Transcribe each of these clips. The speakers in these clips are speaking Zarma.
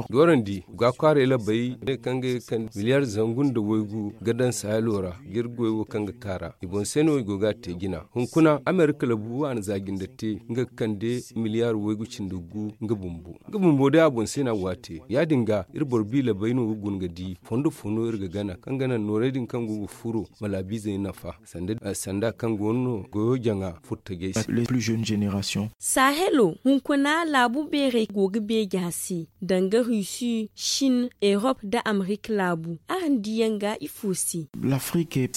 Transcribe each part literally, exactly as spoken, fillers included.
Doorandi ga kwaaray labey ne kaŋ ga kande miliyaar zangu nda waygu ga daŋ sahelo ra ga iri goy wo kaŋ ga kaara i boŋ se no i go ga a te jina. Hunkuna amerika labu a na za jinde te nga ga kande miliyaar waygu cindi gu nga bumbo. Nga bumbo day a boŋ se no a go a te ya- din ga iri boro biila bay no ga guna ga di fondo fo no iri ga gana kaŋ ga naŋ noorey din kaŋ go ga furo ma laabiizey nafa sanda kaŋ go no goyo jaŋa furtajey se. Sahelo hunkuna laabu beerey go ga beeja se danga rusi shin erop nda amerika laabu araŋ diyaŋ ga ifo se?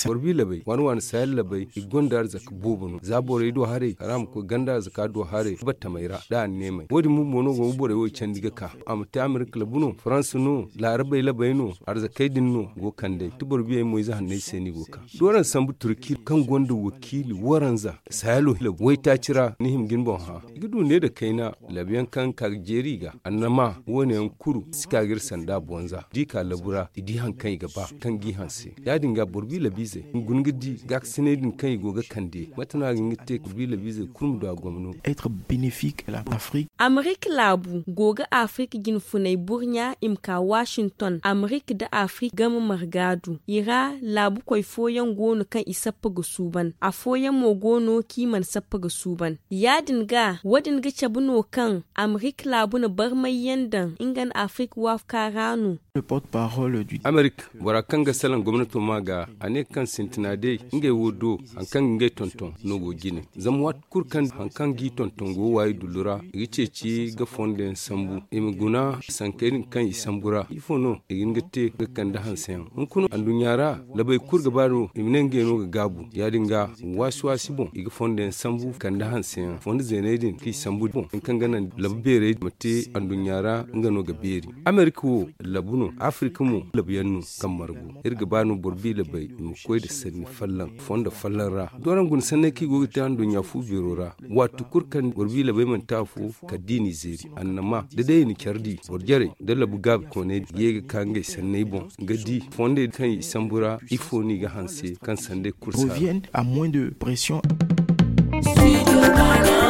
Boro biila bay waani waani sahel labey i gonda arzaka boobo no za borey do haray kala a ma koy ganda arzaka do haray battamey ra nda anneemey wo- din bumbo no go ga borey wo candi ga ka a ma te amerika labu no faransa no laarabey labey no arzakey din no go kand'ey ti boro biyey mo ize hanney se no i go ga ka. Dooran sambu turki kaŋ gonda wakiili waranza sahelo labu waytaaci ra ni hima ga ni boŋ hã i ga du ne nda kayna labu yaŋ kaŋ ga ka ga jeeri i ga annama wo- ne yaŋ kulu si ka ga iri sanda bonza da i ka labu ra i di hari kaŋ i ga ba kaŋ g'i hanse ya- din ga boro biila biizey i ma guna ga di gaakasiney din kaŋ i go ga kande mate no a ga hin ga te boro biila biizey kulu ma du a gomno. Amerika laabu go ga afirika jinfuney burɲa i ma ka washington amerika nda afirika game marga du i ra laabukoy fooyaŋ go no kaŋ i sappa ga suuban afooyaŋ mo go no kaŋ i mana sappa ga suuban ya- din ga wo- din ga cabe no kaŋ amerika laabu na barmay yaŋ daŋ nga nda afirika waafuka ra no. Amerika bora kaŋ ga salaŋ gomnato ma ga a ne kaŋ sintina day ngey wo do hari kaŋ ga ngey tonton no go jine zama waati kulu kaŋ hari kaŋ g'i tonton go waayi dullu ra i ga ceeci ga fondo yaŋ sambu i ma guna sankey din kaŋ i sambu ra ifo no i ga hin ga te ga kande hanse yaŋ hunkuna anduɲɲa ra labey kulu ga ba no i ma ne ngey no ga gaabu ya- din ga waasi waasi boŋ i ga fondo yaŋ sambu kande hanse yaŋ fondo zeeney din kaŋ i sambu boŋ hari kaŋ ga naŋ labu beerey ma te anduɲɲa ra nga no ga beeri amerika wo labu no afirika mo labu yaŋ no kaŋ margu iri ga ba no boro biila bay i ma koy nda sanni folloŋ fondo folloŋ ra dooraŋ guna sanney kaŋ i go ga te anduɲɲa fu beero ra waati kulu kaŋ boro biila bay mana te afo kala da i n'i zeeri annama da day i na care di boro jarey da labu gaabi kooney ga ye ga ka ngey sanney boŋ ga di fondey kaŋ i sambu ra ifo no i ga hanse kaŋ sandey kulu si a ra.